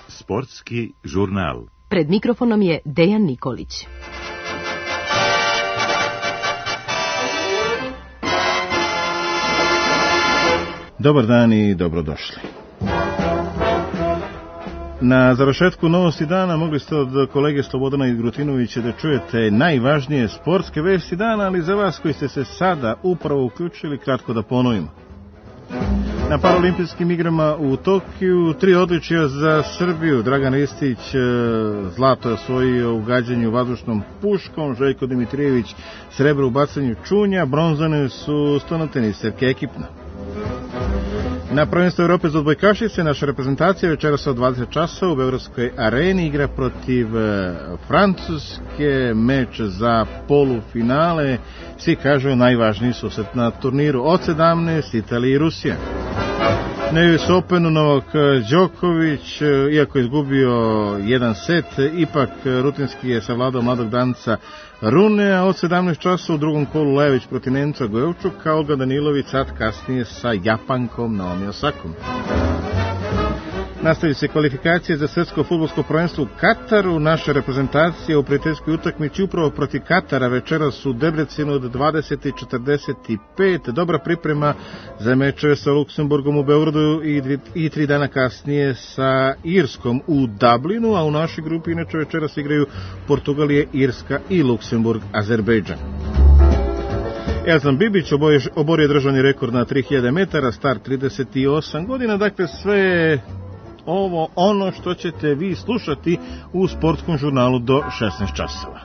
Sportski žurnal. Pred mikrofonom je Dejan Nikolić. Dobar dan i dobrodošli. Na završetku novosti dana mogli ste od kolege Slobodana Grutinovića da čujete najvažnije sportske vesti dana, ali za vas koji ste se sada upravo uključili, kratko da ponovimo. Na paraolimpijskim igrama u Tokiju 3 odličja za Srbiju. Dragan Ristić zlato je osvojio u gađanju vazdušnom puškom, Željko Dimitrijević srebro u bacanju čunja, bronzane su stonoteniserke ekipno. Na prvenstvu Evrope za odbojkašice naša reprezentacija večeras od 20 časa u Beogradskoj areni igra protiv Francuske, meč za polufinale, svi kažu najvažniji susret na turniru od 17, Italija i Rusija. Na US Openu Novak Đoković, iako je izgubio jedan set, ipak rutinski je savladao mladog danca Runea od 17 časa u drugom kolu Lević protiv Nemca Gojevčuka, Olga Danilović sad kasnije sa Japankom Naomi Osakom. Nastavljaju se kvalifikacije za svetsko fudbalsko prvenstvo u Kataru. Naša reprezentacija u prijateljskoj utakmici upravo protiv Katara večeras u Debrecenu od 20:45. Dobra priprema za mečeve sa Luksemburgom u Beogradu i 3 dana kasnije sa Irskom u Dublinu, a u našoj grupi inače večeras igraju Portugalije, Irska i Luksemburg, Azerbejdžan. Elzan Bibić oborio državni rekord na 3000 metara, star 38 godina, dakle sve ovo ono što ćete vi slušati u sportskom žurnalu do 16 časova.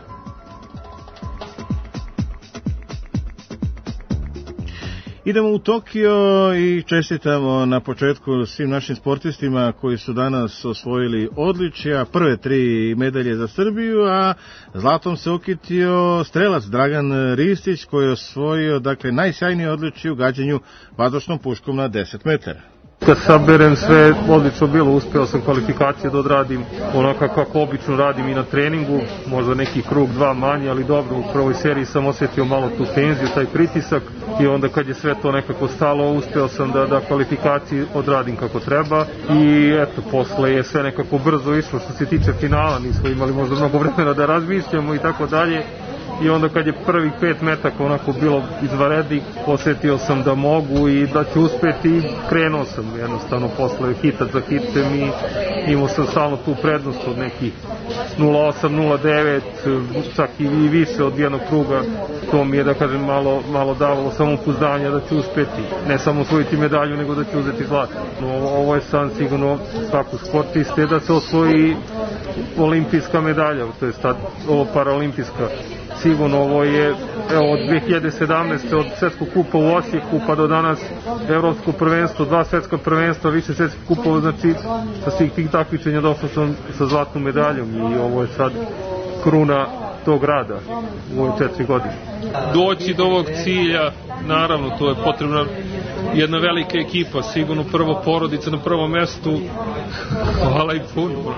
Idemo u Tokio i čestitamo na početku svim našim sportistima koji su danas osvojili odličja, prve 3 medalje za Srbiju, a zlatom se okitio strelac Dragan Ristić koji je osvojio najsjajnije odličje u gađanju vazdušnom puškom na 10 metara. Kad saberem sve, odlično bilo, uspeo sam kvalifikacije da odradim onako kako obično radim i na treningu, možda neki krug 2 manje, ali dobro, u prvoj seriji sam osjetio malo tu tenziju, taj pritisak i onda kad je sve to nekako stalo, uspeo sam da kvalifikacije odradim kako treba i eto, posle je sve nekako brzo išlo što se tiče finala, nismo imali možda mnogo vremena da razmišljamo i tako dalje. I onda kad je prvih 5 metaka onako bilo izvanrednih, osjetio sam da mogu i da ću uspeti i krenuo sam jednostavno posle hitac za hitem i imao sam stalno tu prednost od nekih 0,8, 0,9, čak i više od jednog kruga. To mi je, da kažem, malo davalo samopouzdanja da ću uspeti, ne samo osvojiti medalju, nego da ću uzeti zlato. Ovo je san sigurno svakog sportiste da se osvoji olimpijska medalja, to je ovo paraolimpijska. Sigurno ovo je od 2017. od svetskog kupa u Osijeku pa do danas evropsko prvenstvo, 2 svetska prvenstva, više svetskih kupova, znači sa svih tih takmičenja došao sam sa zlatnom medaljom i ovo je sad kruna tog rada u ove 4 godine. Doći do ovog cilja, naravno, to je potrebna jedna velika ekipa, sigurno prvo porodica na prvom mestu, hvala i puno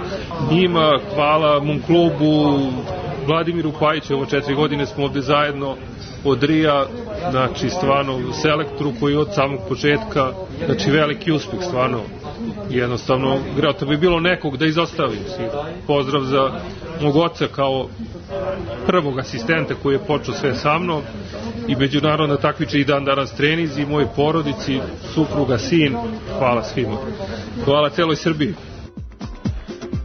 njima, hvala mom klubu, Vladimiru Pajiću, ovo 4 godine smo ovde zajedno od Rija, znači stvarno selektoru koji od samog početka, znači veliki uspeh, stvarno jednostavno, greo bi bilo nekog da izostavim. Pozdrav za mog oca kao prvog asistenta koji je počeo sve sa mnom i međunarodna takmičenja i dan danas trenizi, moj porodici, supruga, sin, hvala svima. Hvala celoj Srbiji.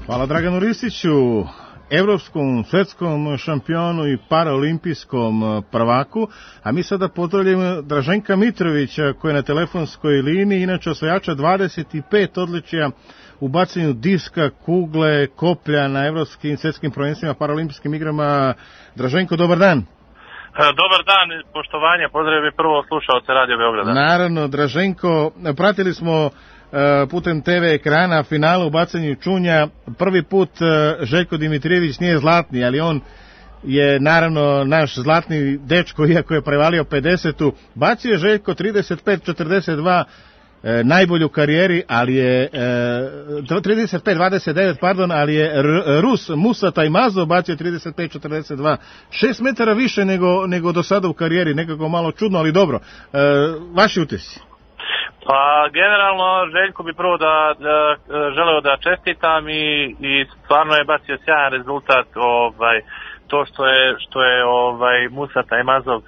Hvala Draganu Ristiću, evropskom, svetskom šampionu i paraolimpijskom prvaku, a mi sada pozdravljamo Draženka Mitrovića koji je na telefonskoj liniji, inače osvajača 25 odličja u bacanju diska, kugle, koplja na evropskim svetskim prvenstvima, paraolimpijskim igrama. Draženko, dobar dan. Dobar dan, poštovanje, pozdravljam i prvo slušaoce Radio Beograda. Naravno, Draženko, pratili smo putem TV ekrana finala u bacanju čunja. Prvi put Željko Dimitrijević nije zlatni, ali on je naravno naš zlatni dečko, iako je prevalio 50-u. Bacio je Željko 35-42. najbolju u karijeri, ali je 35-29, pardon, ali je Rus Musa Tajmazov bacio 35-42, 6 metara više nego do sada u karijeri, nekako malo čudno, ali dobro. Vaši utisci? Pa generalno Željko bi prvo želeo da čestitam i stvarno je bacio sjajan rezultat, to što je Musa Tajmazov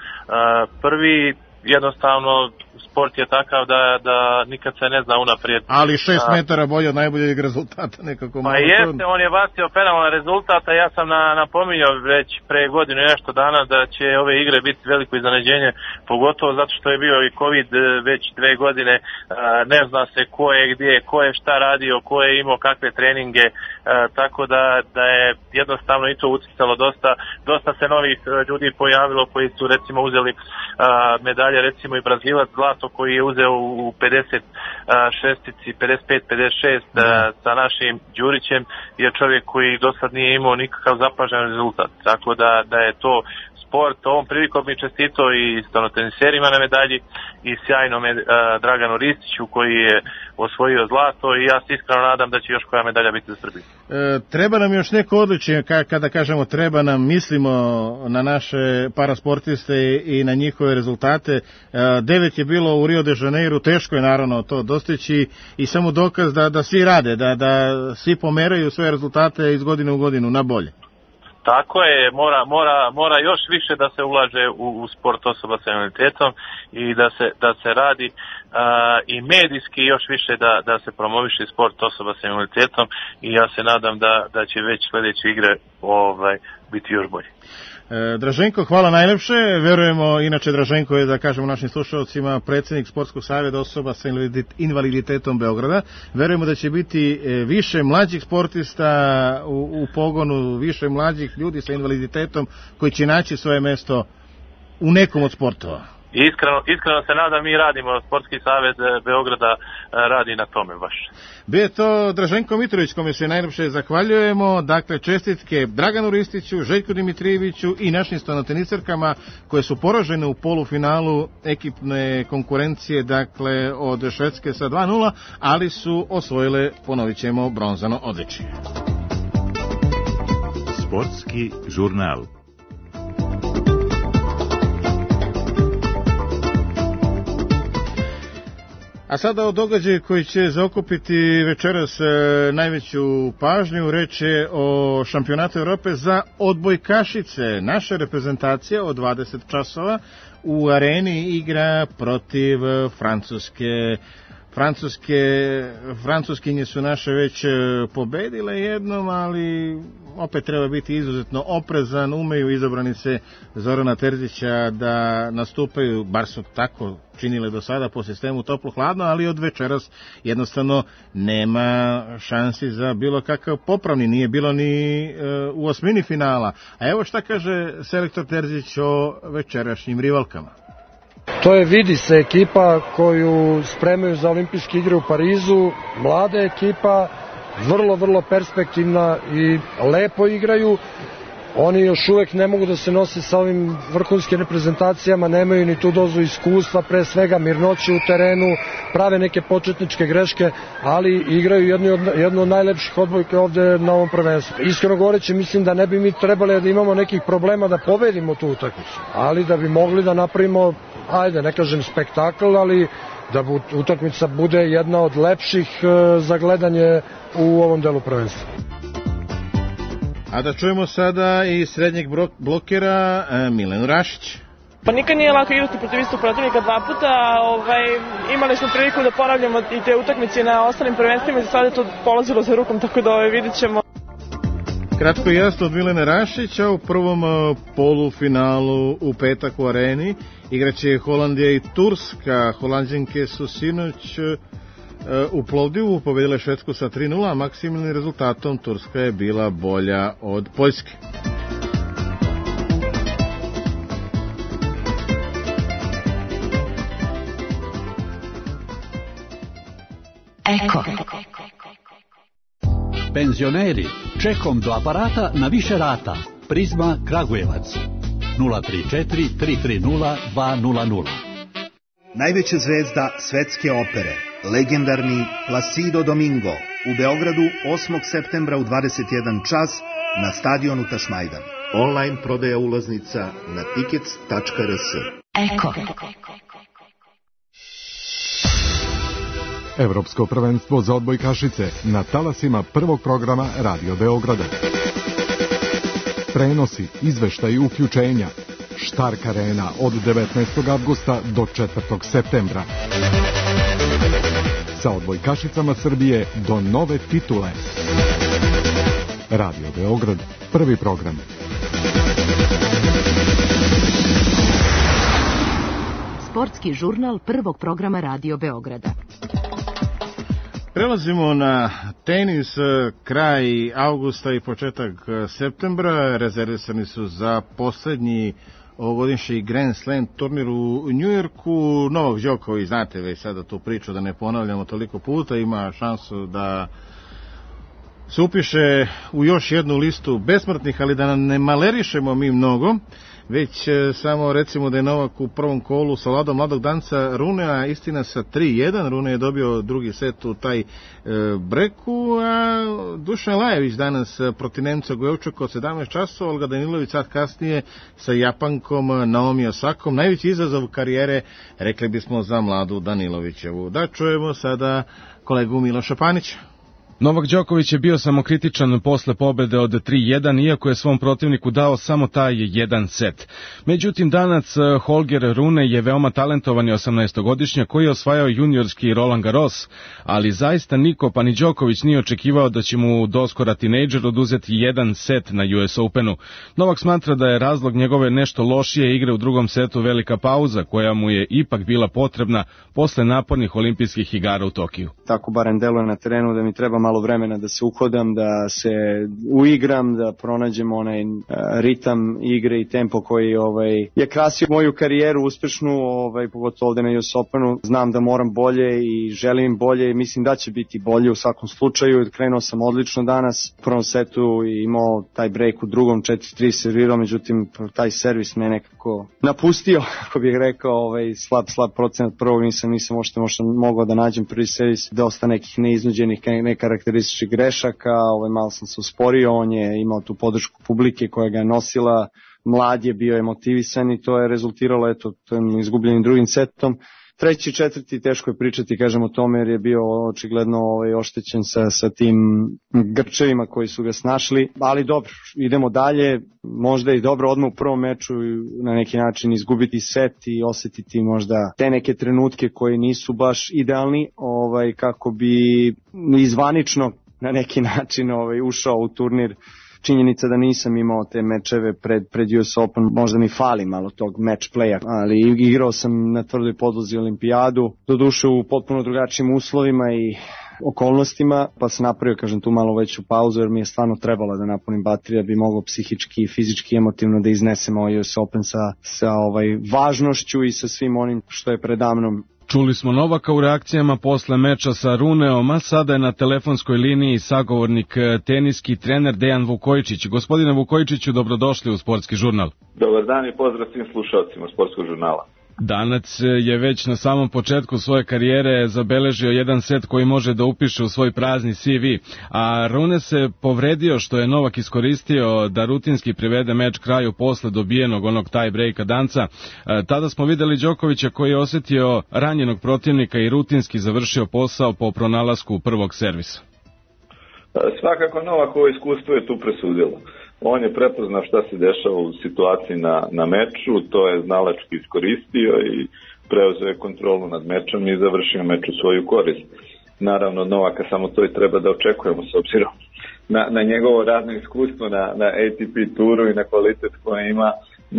prvi, jednostavno sport je takav da nikad se ne zna unaprijed. Ali 6 metara bolje od najboljeg rezultata nekako. Pa jeste, on je bacio penalan rezultat, a ja sam napominjao već pre godinu i nešto dana da će ove igre biti veliko iznenađenje, pogotovo zato što je bio i COVID već 2 godine, ne zna se ko je gdje, ko je šta radio, ko je imao kakve treninge, tako da je jednostavno i to uticalo dosta se novih ljudi pojavilo koji su recimo uzeli medalje, recimo i Brazilac zlato koji je uzeo u 56-ici, 55-56 sa našim Đurićem, je čovjek koji do sad nije imao nikakav zapažen rezultat, tako da je to sport. Ovom prilikom mi čestito i stenoteniserima na medalji i sjajnom Draganu Ristiću koji je osvojio zlato i ja se iskreno nadam da će još koja medalja biti za Srbiju. Treba nam još neko odličje, kada kažemo treba nam, mislimo na naše parasportiste i na njihove rezultate. 9 je bilo u Rio de Janeiro, teško je naravno to dostići i samo dokaz da svi rade, da svi pomeraju svoje rezultate iz godine u godinu na bolje. Tako je, mora još više da se ulaže u sport osoba sa invaliditetom i da se radi i medijski još više da se promoviše sport osoba sa invaliditetom i ja se nadam da će već sljedeće igre biti još bolje. Draženko, hvala najlepše. Verujemo, inače Draženko je, da kažemo našim slušalcima, predsjednik Sportskog saveza osoba sa invaliditetom Beograda. Verujemo da će biti više mlađih sportista u pogonu, više mlađih ljudi sa invaliditetom koji će naći svoje mesto u nekom od sportova. Iskreno se nadam, mi radimo, Sportski savez Beograda radi na tome baš. Bio je to Draženko Mitrović, kome se najljepše zahvaljujemo. Dakle, čestitke Draganu Ristiću, Željku Dimitrijeviću i našim stenoteniserkama koje su poražene u polufinalu ekipne konkurencije, dakle od Švedske sa 2:0, ali su osvojile, ponovit ćemo, bronzano odličje. Sportski žurnal. A sada o događaju koji će zaokupiti večeras najveću pažnju. Reč je o šampionatu Europe za odbojkašice. Naša reprezentacija od 20 časova u areni igra protiv Francuske. Francuskinje su naše već pobedile jednom, ali opet treba biti izuzetno oprezan. Umeju izabranice Zorana Terzića da nastupaju, bar su tako činile do sada po sistemu toplo-hladno, ali od večeras jednostavno nema šansi za bilo kakav popravni. Nije bilo ni u osmini finala. A evo šta kaže selektor Terzić o večerašnjim rivalkama. To je, vidi se, ekipa koju spremaju za olimpijske igre u Parizu, mlada ekipa, vrlo perspektivna i lepo igraju. Oni još uvek ne mogu da se nose sa ovim vrhunskim reprezentacijama, nemaju ni tu dozu iskustva, pre svega mirnoće u terenu, prave neke početničke greške, ali igraju jednu od najlepših odbojke ovde na ovom prvenstvu. Iskreno govoreći, mislim da ne bi mi trebali da imamo nekih problema da pobedimo tu utakmicu, ali da bi mogli da napravimo, ajde, ne kažem spektakl, ali da utakmica bude jedna od lepših za gledanje u ovom delu prvenstva. A da čujemo sada i srednjeg blokera Milenu Rašić. Pa nikad nije lako igrati protiv istog protivnika 2 puta. Imali smo priliku da ponavljamo i te utakmice na ostalim prvenstvima i za sada je to polazilo za rukom, tako da vidit ćemo. Kratko i jasno od Milene Rašića. U prvom polufinalu u petak u areni igraće Holandija i Turska. Holandjanke su sinoć u Plovdivu pobedile Švedsku sa 3:0, a maksimalnim rezultatom Turska je bila bolja od Poljske. Eko. Penzioneri, čekom do aparata na više rata. Prizma Kragujevac 034 330 200. Najveća zvezda svetske opere legendarni Placido Domingo u Beogradu 8. septembra u 21 čas na stadionu Tašmajdan. Online prodaja ulaznica na tickets.rs. Eko. Evropsko prvenstvo za odbojkašice na talasima prvog programa Radio Beograda. Prenosi, izveštaji, uključenja. Štark Arena od 19. avgusta do 4. septembra. Sa odbojkašicama Srbije do nove titule. Radio Beograd, prvi program. Sportski žurnal prvog programa Radio Beograda. Prelazimo na tenis, kraj avgusta i početak septembra. Rezervisani su za poslednji ovogodišnji Grand Slam turnir u Njujorku. Novak Đoković, znate već sada tu priču, da ne ponavljamo toliko puta, ima šansu da se upiše u još jednu listu besmrtnih, ali da ne malerišemo mi mnogo, već samo recimo da je Novak u prvom kolu savladao mladog danca Runea, istina sa 3-1, Rune je dobio drugi set u taj breku, a Dušan Lajević danas protiv Nemca Gojevčuka od 17 časova, Olga Danilović sad kasnije sa Japankom Naomi Osakom, najveći izazov karijere, rekli bismo, za mladu Danilovićevu. Da čujemo sada kolegu Miloša Panića. Novak Đoković je bio samokritičan posle pobede od 3-1, iako je svom protivniku dao samo taj jedan set. Međutim, Danac Holger Rune je veoma talentovani 18-godišnjak koji je osvajao juniorski Roland Garros, ali zaista niko, pa ni Đoković, nije očekivao da će mu doskora tinejdžer oduzeti jedan set na US Openu. Novak smatra da je razlog njegove nešto lošije igre u drugom setu velika pauza, koja mu je ipak bila potrebna posle napornih olimpijskih igara u Tokiju. Tako barem deluje na terenu, da mi treba malo vremena da se uhodam, da se uigram, da pronađem onaj ritam igre i tempo koji je krasio moju karijeru uspešnu, pogotovo ovde na US Openu. Znam da moram bolje i želim bolje i mislim da će biti bolje u svakom slučaju. Krenuo sam odlično danas, u prvom setu i imao taj break, u drugom 4-3 servirao, međutim taj servis me nekako napustio, kako bih rekao, slab procenat prvog, nisam možda mogao da nađem prvi servis, dosta nekih neiznuđenih, nekarakterističnih grešaka, malo sam se usporio, on je imao tu podršku publike koja ga je nosila, mlad je, bio je motivisan i to je rezultiralo tim izgubljenim drugim setom. Treći, četvrti, teško je pričati, kažem, o tome, jer je bio očigledno oštećen sa tim grčevima koji su ga snašli, ali dobro, idemo dalje, možda je dobro odmah u prvom meču na neki način izgubiti set i osetiti možda te neke trenutke koji nisu baš idealni, kako bi izvanično na neki način ušao u turnir. Činjenica da nisam imao te mečeve pred US Open, možda mi fali malo tog match playa, ali igrao sam na tvrdoj podlozi olimpijadu, doduše u potpuno drugačijim uslovima i okolnostima, pa sam napravio, kažem, tu malo veću pauzu, jer mi je stvarno trebalo da napunim bateriju, da bi mogao psihički, fizički, emotivno da iznesem US Open sa važnošću i sa svim onim što je predamnom. Čuli smo Novaka u reakcijama posle meča sa Runeom, a sada je na telefonskoj liniji sagovornik, teniski trener Dejan Vukojičić. Gospodine Vukojičiću, dobrodošli u Sportski žurnal. Dobar dan i pozdrav svim slušalcima Sportskog žurnala. Danac je već na samom početku svoje karijere zabeležio jedan set koji može da upiše u svoj prazni CV, a Rune se povredio, što je Novak iskoristio da rutinski privede meč kraju posle dobijenog onog tie breaka danca. Tada smo videli Đokovića koji je osetio ranjenog protivnika i rutinski završio posao po pronalasku prvog servisa. Svakako Novakovo iskustvo je tu presudilo. On je prepoznao šta se dešava u situaciji na meču, to je znalački iskoristio i preuzeo je kontrolu nad mečom i završio meč u svoju korist. Naravno, Novaka samo to i treba da očekujemo s obzirom na njegovo radno iskustvo na ATP turu i na kvalitet koje ima.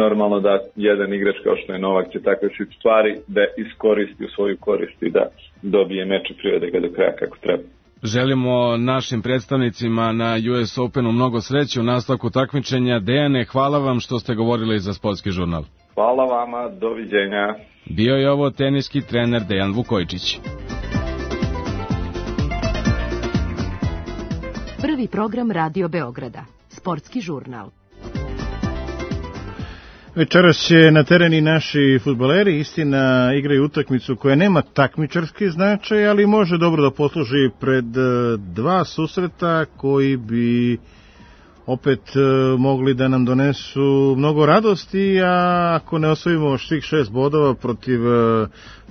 Normalno da jedan igrač kao što je Novak će takve stvari da iskoristi u svoju korist i da dobije meč i privede ga do kraja kako treba. Želimo našim predstavnicima na US Openu mnogo sreće u nastavku takmičenja. Dejane, hvala vam što ste govorili za Sportski žurnal. Hvala vama, doviđenja. Bio je ovo teniski trener Dejan Vukojičić. Prvi program Radio Beograda. Sportski žurnal. Večeras će na tereni naši fudbaleri, istina, igraju utakmicu koja nema takmičarski značaj, ali može dobro da posluži pred dva susreta koji bi opet mogli da nam donesu mnogo radosti, a ako ne osvojimo svih 6 bodova protiv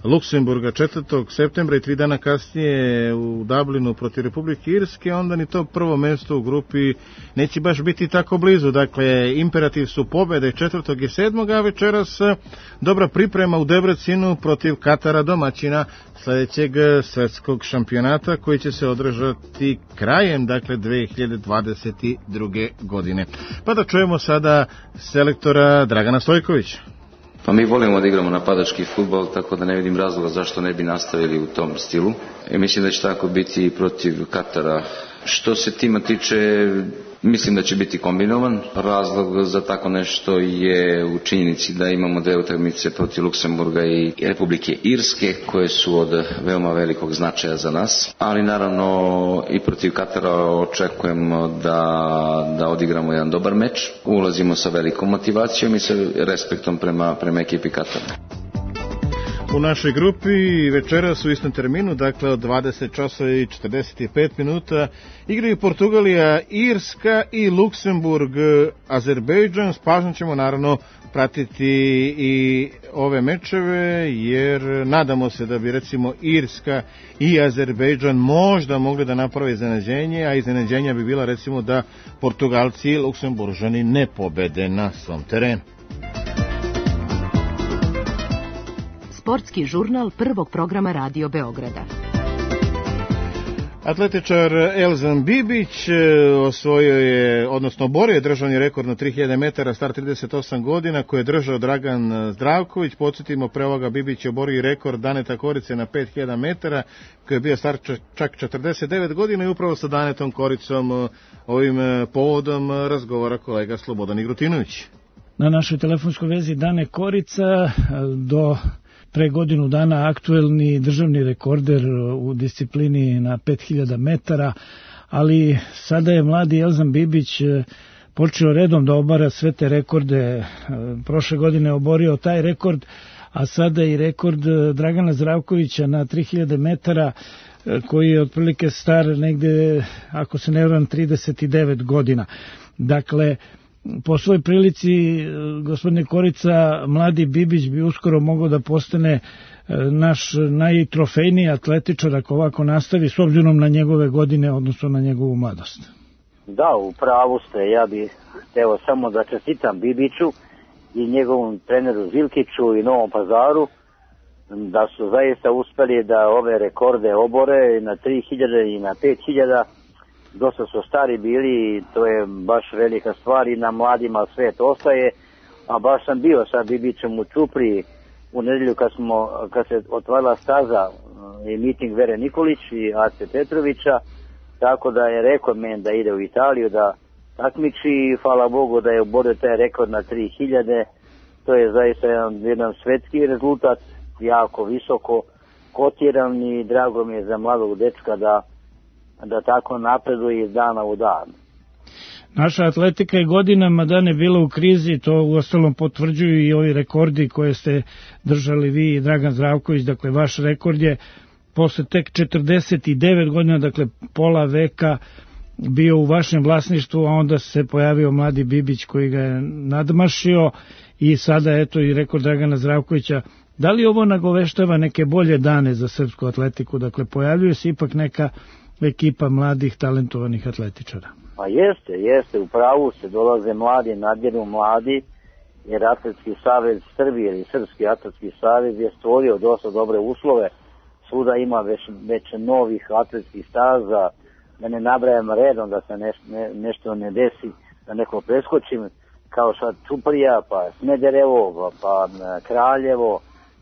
Luksemburga 4. septembra i 3 dana kasnije u Dublinu protiv Republike Irske, onda ni to prvo mesto u grupi neće baš biti tako blizu. Dakle, imperativ su pobede 4. i 7. a večeras dobra priprema u Debrecinu protiv Katara, domaćina sledećeg svetskog šampionata koji će se održati krajem, dakle, 2022. godine. Pa da čujemo sada selektora Dragana Stojkovića. Pa mi volimo da igramo napadački fudbal, tako da ne vidim razloga zašto ne bi nastavili u tom stilu. I mislim da će tako biti i protiv Katara. Što se tima tiče, mislim da će biti kombinovan. Razlog za tako nešto je u činjenici da imamo dve utakmice protiv Luksemburga i Republike Irske, koje su od veoma velikog značaja za nas. Ali naravno i protiv Katara očekujemo da odigramo jedan dobar meč. Ulazimo sa velikom motivacijom i sa respektom prema ekipi Katara. U našoj grupi večeras u istom terminu, dakle od 20 časova i 45 minuta, igraju Portugalija, Irska i Luksemburg, Azerbejdžan. S pažnjom ćemo naravno pratiti i ove mečeve, jer nadamo se da bi recimo Irska i Azerbejdžan možda mogli da naprave iznenađenje, a iznenađenja bi bila recimo da Portugalci i Luksemburžani ne pobede na svom terenu. Sportski žurnal prvog programa Radio Beograda. Atletičar Elzan Bibić osvojio je, odnosno borio je državni rekord na 3000 metara, star 38 godina, koje je držao Dragan Zdravković. Podsjetimo, pre ovoga Bibić je borio i rekord Daneta Korice na 5000 metara, koji je bio star čak 49 godina, i upravo sa Danetom Koricom ovim povodom razgovara kolega Slobodan Igrutinović. Na našoj telefonskoj vezi Dane Korica, do pre godinu dana aktuelni državni rekorder u disciplini na 5000 metara, ali sada je mladi Elzan Bibić počeo redom da obara sve te rekorde. Prošle godine oborio taj rekord, a sada i rekord Dragana Zdravkovića na 3000 metara, koji je otprilike star negde, ako se ne varam, 39 godina. Dakle, po svoj prilici, gospodine Korica, mladi Bibić bi uskoro mogao da postane naš najtrofejniji atletičar ako ovako nastavi, s obzirom na njegove godine, odnosno na njegovu mladost. Da, u pravu ste. Ja bih hteo samo da čestitam Bibiću i njegovom treneru Zilkiću i Novom Pazaru, da su zaista uspeli da ove rekorde obore na 3000 i na 5000. Dosta su stari bili i to je baš velika stvar i na mladima svet ostaje, a baš sam bio sa Bibićem u Čupriji u nedelju kad se otvarila staza i miting Vere Nikolić i Ace Petrovića, tako da je rekao meni da ide u Italiju da takmiči i hvala Bogu da je oborio taj rekord na 3000. To je zaista jedan svetski rezultat, jako visoko kotiran i drago mi je za mladog dečka da tako napreduje iz dana u dan. Naša atletika je godinama dane bila u krizi, to uostalom potvrđuju i ovi rekordi koje ste držali vi i Dragan Zdravković. Dakle, vaš rekord je posle tek 49 godina, dakle pola veka, bio u vašem vlasništvu, a onda se pojavio mladi Bibić koji ga je nadmašio i sada eto i rekord Dragana Zdravkovića. Da li ovo nagoveštava neke bolje dane za srpsku atletiku? Dakle, pojavljuje se ipak neka ekipa mladih, talentovanih atletičara. Pa jeste, u pravu se, dolaze mladi, nadjeru mladi, jer Atletski savez Srbije ili Srpski atletski savez je stvorio dosta dobre uslove, svuda ima već novih atletskih staza, da ne nabrajam redom da se nešto ne desi, da neko preskočim, kao sad Čuprija, pa Smederevo, pa Kraljevo,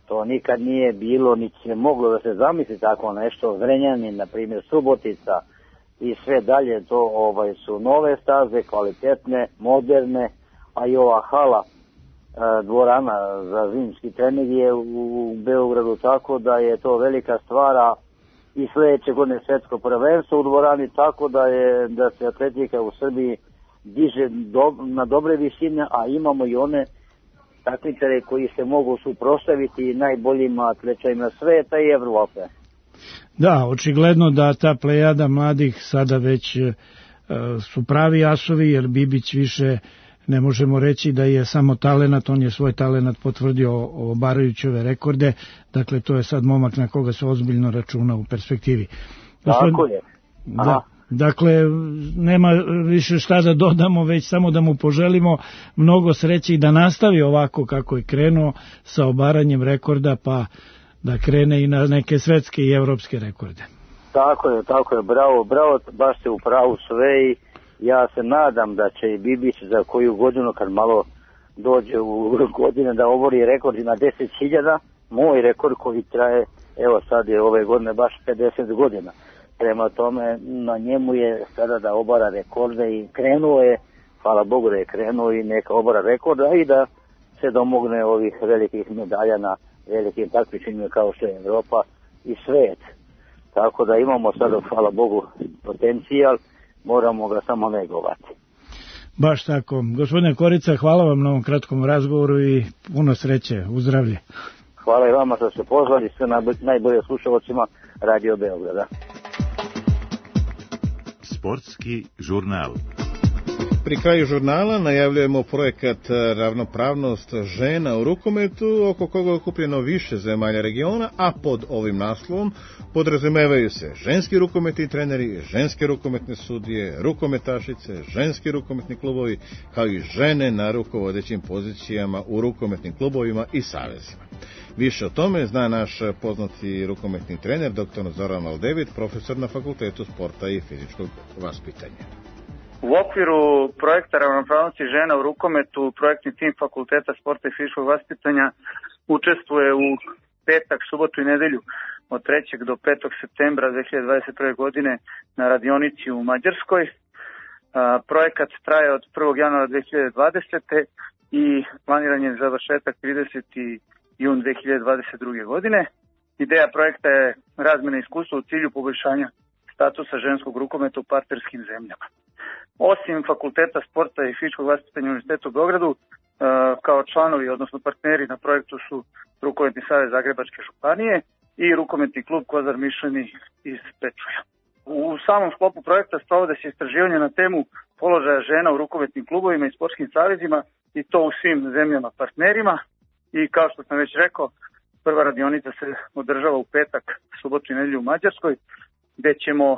to nikad nije bilo, niti se moglo da se zamisli tako nešto, Zrenjanin, na primjer Subotica i sve dalje, to su nove staze, kvalitetne, moderne, a i ova hala, dvorana za zimski trening je u Beogradu, tako da je to velika stvara i sledeće godine svetsko prvenstvo u dvorani, tako da se atletika u Srbiji diže na dobre visine, a imamo i one takmičare koji se mogu suprotstaviti najboljim atlečajima sveta i Evrope. Da, očigledno da ta plejada mladih sada već su pravi asovi, jer Bibić više ne možemo reći da je samo talenat, on je svoj talenat potvrdio obarajući ove rekorde, dakle to je sad momak na koga se ozbiljno računa u perspektivi. Tako je. Da, dakle, nema više šta da dodamo, već samo da mu poželimo mnogo sreće i da nastavi ovako kako je krenuo sa obaranjem rekorda, pa da krene i na neke svetske i evropske rekorde. Tako je, bravo, baš ste u pravu sve i ja se nadam da će i Bibić za koju godinu, kad malo dođe u godine, da obori rekord na 10.000, moj rekord koji traje, evo sad je ove godine baš 50 godina. Prema tome, na njemu je sada da obara rekorde i krenuo je, hvala Bogu da je krenuo i neka obara rekorda i da se domogne ovih velikih medalja na velikim takmičenjima kao što je Evropa i svet. Tako da imamo sada, hvala Bogu, potencijal, moramo ga samo negovati. Baš tako. Gospodine Korica, hvala vam na ovom kratkom razgovoru i puno sreće, u zdravlje. Hvala i vama što ste pozvali, sve najbolje slušalcima Radio Beograda. Sportski žurnal. Pri kraju žurnala najavljujemo projekat Ravnopravnost žena u rukometu, oko koga je okupljeno više zemalja regiona, a pod ovim naslovom podrazumevaju se ženski rukometni treneri, ženske rukometne sudije, rukometašice, ženski rukometni klubovi, kao i žene na rukovodećim pozicijama u rukometnim klubovima i savezima. Više o tome zna naš poznati rukometni trener, dr. Zoran Aldevit, profesor na Fakultetu sporta i fizičkog vaspitanja. U okviru projekta Ravnopravnosti žena u rukometu, projektni tim Fakulteta sporta i fizičkog vaspitanja učestvuje u petak, subotu i nedelju od 3. do 5. septembra 2021. godine na radionici u Mađarskoj. Projekat traje od 1. januara 2020. i planiran je završetak 30. jun 2022. godine. Ideja projekta je razmjena iskustva u cilju poboljšanja statusa ženskog rukometa u partnerskim zemljama. Osim Fakulteta sporta i fizičkog vaspitanja Univerziteta u Beogradu, kao članovi, odnosno partneri na projektu su Rukometni savez Zagrebačke županije i Rukometni klub Kozar Mišleni iz Pečuja. U samom sklopu projekta sprovode se istraživanje na temu položaja žena u rukometnim klubovima i sportskim savezima i to u svim zemljama partnerima. I kao što sam već rekao, prva radionica se održava u petak, subotu i nedelju u Mađarskoj, gde ćemo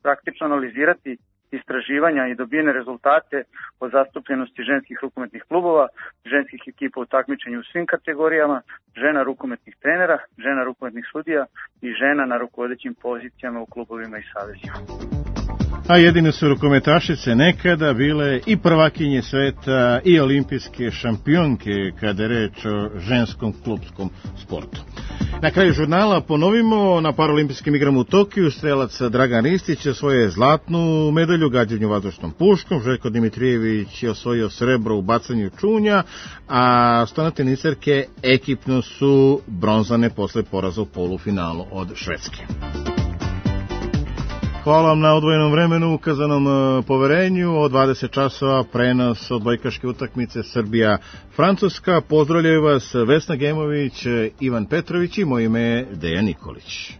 praktično analizirati istraživanja i dobijene rezultate o zastupljenosti ženskih rukometnih klubova, ženskih ekipa u takmičenju u svim kategorijama, žena rukometnih trenera, žena rukometnih sudija i žena na rukovodećim pozicijama u klubovima i savezima. A jedine su rukometašice nekada bile i prvakinje sveta i olimpijske šampionke kada je reč o ženskom klubskom sportu. Na kraju žurnala ponovimo, na Paralimpijskim igrama u Tokiju strelac Dragan Ristić osvojio zlatnu medalju u gađanju vazdušnom puškom, Željko Dimitrijević je osvojio srebro u bacanju čunja, a stonoteniserke ekipno su bronzane posle poraza u polufinalu od Švedske. Hvala vam na odvojenom vremenu, ukazanom poverenju. Od 20 časova prenos odbojkaške utakmice Srbija-Francuska. Pozdravljaju vas Vesna Gemović, Ivan Petrović i moje ime je Dejan Nikolić.